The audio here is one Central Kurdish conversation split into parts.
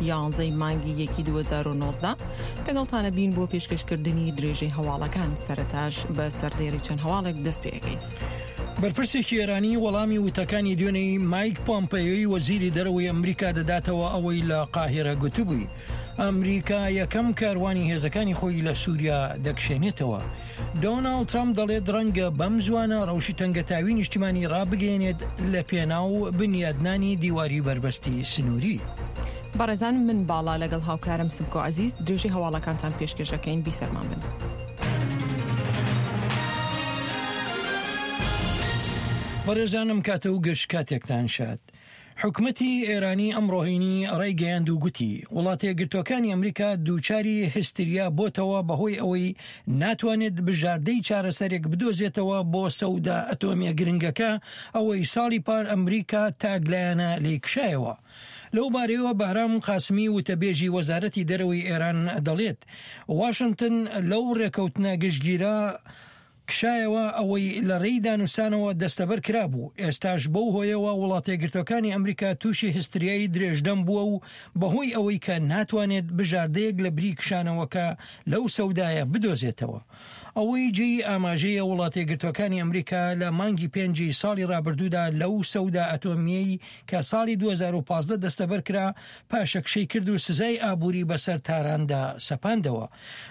یانزەی مانگی یەکی 2019 لەگەڵتانە بین بۆ پێشکەشکردنی درێژەی هەواڵەکان سەرەتاش بە سەردێری چەند هەواڵێک دەست پێەکەین. بەرپرسێکی ئێرانی وەڵامی وتەکانی دوێنێی مایک پۆمپەیۆی وەزیری دەرەوەی ئەمریکا دەداتەوە ئەوەی لە قاهیرە گوتبووی ئەمریکا یەکەم کاروانی هێزەکانی خۆی لە سووریا دەکشێنێتەوە. دۆناڵد ترەمپ دەڵێت ڕەنگە بەم زوانە ڕەوشی تەنگەتاوی نیشتیمانی ڕابگەیەنێت لە پێناو بنیادنانی دیواری بەربەستی سنووری. بەڕێزان من باڵا لەگەڵ هاوکارم سمکۆ عەزیز درێژەی هەواڵەکانتان پێشکێش ئەکەین بیسەرمان بن. بەڕێزانم کاتە و گشت کاتێکتان شاد. حکومەتی ئێرانی ئەمڕۆ هەینی ڕایگەیاند و گوتی، وڵاتەیەکگرتووەکانی ئەمریکا دووچاری هستریا بۆتەوە بەهۆی ئەوەی ناتوانێت بژاردەی چارەسەرێک بدۆزێتەوە بۆ سەودا ئەتۆمیە گرنگەکە ئەوەی ساڵی پار ئەمریکا تاکلایەنە لێی کشایەوە. لەو بارەیەوە بەهرام قاسمی وتەبێژی وەزارەتی دەرەوەی ئێران دەڵێت، واشنتن لەو ڕێکەوتنە گشتگیرە کشایەوە ئەوەی لە رێی دانوستانەوە دەستەبەر کرابوو، ئێستاش بەو هۆیەوە وڵاتەیەکگرتوەکانی ئەمریکا تووشی هستریای درێژدەم بووە و بەهۆی ئەوەی کە ناتوانێت بژاردەیەک لە بری کشانەوەکە لەو سەودایە بدۆزێتەوە. ئەوەی جێی ئاماژەیە وڵاتەیەکگرتوەکانی ئەمریکا لە مانگی پێنجی ساڵی رابردوودا لەو سەودا ئەتۆمییەی کە ساڵی 2015 دەستەبەر کرا پاشەکشەی کرد و سزای ئابووری بەسەر تاراندا سەپاندەوە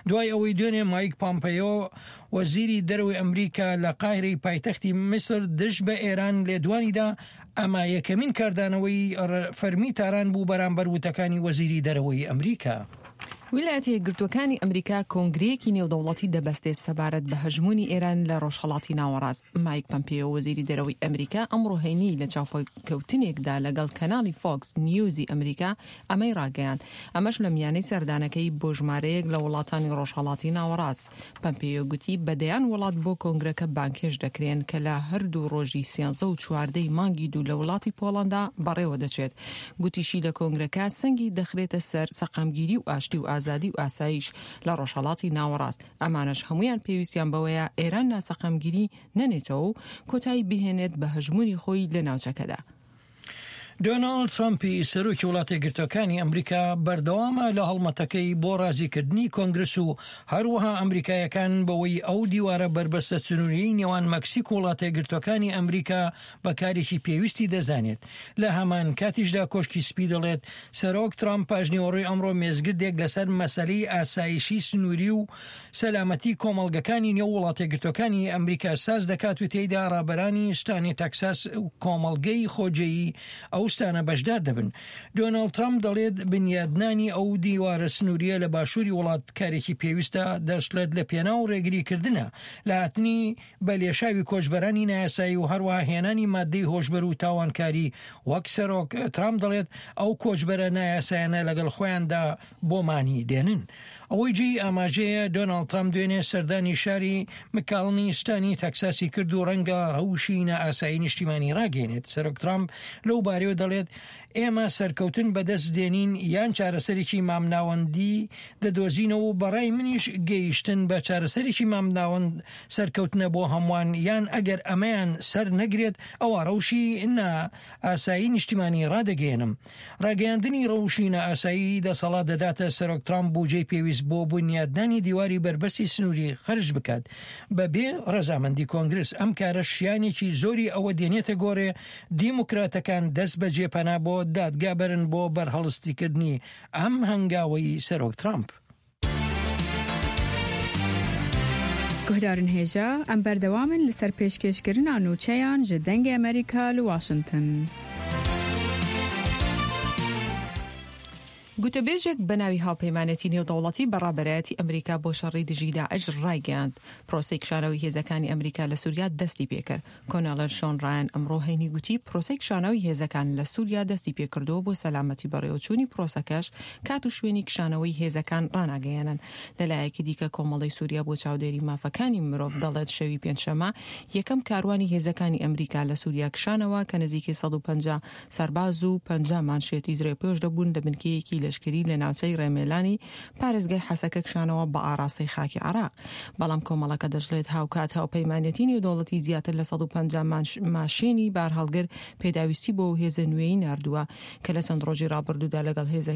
دوای ئەوەی دوێنێ مایک پامپەیۆ وەزیری دەرەوەی ئەمریکا لە قاهیرەی پایتەختی میسر دژ بە ئێران لێدوانی دا، ئەمە یەکەمین کاردانەوەی فەرمی تاران بوو بەرامبەر وتەکانی وەزیری دەرەوەی ئەمریکا. ویلایەتە یەکگرتووەکانی ئەمریکا کۆنگرەیەکی نێودەوڵەتی دەبەستێت سەبارەت بە هەژموونی ئێران لە ڕۆژهەڵاتی ناوەڕاست. مایک پەمپێیۆ وەزیری دەرەوەی ئەمریکا ئەمڕۆ هەینی لە چاوپێکەوتنێکدا لەگەڵ کەناڵی فۆکس نیوزی ئەمریکا ئەمەی ڕاگەیاند، ئەمەش لە میانەی سەردانەکەی بۆ ژمارەیەک لە وڵاتانی ڕۆژهەڵاتی ناوەڕاست. پەمپێیۆ گوتی بە دەیان وڵات بۆ کۆنگرەکە بانگهێشت دەکرێن کە لە هەردوو ڕۆژی سیانزە و چواردە ی مانگی دوو لە وڵاتی پۆڵەندا بەڕێوە دەچێت. گوتیشی لە کۆنگرەکە سەنگی دەخرێتە سەر سەقامگیری و ئاشتی و ئازادی و ئاسایش لە ڕۆژهەڵاتی ناوەڕاست، ئەمانەش هەموویان پێویستیان بەوەیە ئێران ناسەقامگیری نەنێتەوە و کۆتایی بهێنێت بە هەژموونی خۆی لە ناوچەکەدا. دۆناڵد ترەمپی سەرۆکی وڵاتەیەکگرتووەکانی ئەمریکا بەردەوامە لە هەڵمەتەکەی بۆ ڕازیکردنی کۆنگرس و هەروەها ئەمریکایەکان بەوەی ئەو دیوارە بەربەستە سنووریەی نێوان مەکسیک و وڵاتەیەکگرتووەکانی ئەمریکا بە کارێکی پێویستی دەزانێت. لە هەمان کاتیشدا کۆشکی سپی دەڵێت سەرۆک ترەمپ پاشنیوەڕۆی ئەمڕۆ مێزگردێک لەسەر مەسەلەی ئاسایشی سنووری و سەلامەتی کۆمەڵگەکانی نێو وڵاتەیەکگرتووەکانی ئەمریکا ساز دەکات و تێیدا ڕابەرانی ستانی تەکساس و کۆمەڵگەی خۆجێیی ئەو ستانە بەشدار دەبن. دۆناڵد ترەمپ دەڵێت بنیادنانی ئەو دیوارە سنوورییە لە باشووری وڵات کارێکی پێویستە، دەشڵێت لە پێناو ڕێگریکردنە لە هاتنی بە لێشاوی کۆچبەرانی نایاسایی و هەروەها هێنانی ماددەی هۆشبەر و تاوانکاری، وەک سەرۆک ترامپ دەڵێت ئەو کۆچبەرە نایاسایانە لەگەڵ خۆیاندا بۆمانی دێنن. ئەوەی جێی ئاماژەیە دۆناڵد ترامپ دوێنێ سەردانی شاری مکاڵنی ستانی تەکساسی کرد و ڕەنگە ڕەوشی نائاسایی نیشتیمانی ڕاگەیەنێت. سەرۆک ترامپ لەو بارەیەوە دەڵێت ئێمە سەرکەوتن بەدەست دێنین یان چارەسەرێکی مامناوەندی دەدۆزینەوە و بەڕای منیش گەیشتن بە چارەسەرێکی مامناوەند سەرکەوتنە بۆ هەمووان یان ئەگەر ئەمەیان سەر نەگرێت ئەوا ڕەوشی نا ئاسایی نیشتیمانی ڕادەگەیەنم. ڕاگەیاندنی ڕەوشی نائاسایی دەسەڵات دەداتە سەرۆک ترامپ بوجەی پێویست بۆ بونیادنانی دیواری بەربەستی سنووری خەرج بکات بە بێ ڕەزامەندی کۆنگرس، ئەم کارەش شیانێکی زۆری ئەوە دێنێتە گۆڕێ دیموکراتەکان دەست بەجێ پەنا بۆ دادگا بەرن بۆ بەرهەڵستیکردنی ئەم هەنگاوەی سەرۆک ترامپ. Guhdarên hêja, em berdewam in li ser pêşkêşkirina nûçeyan ji Dengê Amerîka li Washington. گوتەبێژێک بە ناوی هاوپەیمانێتی نێودەوڵەتی بە ڕابەرایەتی ئەمریکا بۆ شەڕی دژی داعش ڕایگەیاند، پرۆسەی کشانەوەی هێزەکانی ئەمریکا لە سوریا دەستی پێکرد. کۆنێڵێل شۆن ڕایان ئەمڕۆ هەینی گوتی، پرۆسەی کشانەوەی هێزەکان لە سوریا دەستی پێکردووە بۆ سەلامەتی بەڕێوەچوونی پرۆسەکەش کات و شوێنی کشانەوەی هێزەکان ڕاناگەیەنن. لەلایەکی دیکە کۆمەڵەی سوریا بۆ چاودێری مافەکانی مرۆڤ دەڵێت شەوی پێنجشەممە یەکەم کاروانی هێزەکانی ئەمریکا لە سوریا کشانەوە کە نزیکەی 150 سەرباز و 50 مانشێتی زرێپۆش دەبوون لە بنکەیەکی لەشکری لە ناوچەی ڕێمێلانی پارێزگای حەسەکە کشانەوە بە ئاڕاستەی خاکی عێراق. بەڵام کۆمەڵەکە دەشڵێت هاوکات هاوپەیمانێتی نێودەوڵەتی زیاتر لە 150 ماشێنی بارهەڵگر پێداویستی بۆ ئەو هێزە نوێی ناردووە کە لە چەند ڕۆژی ڕابردوودا لەگەڵ هێزە.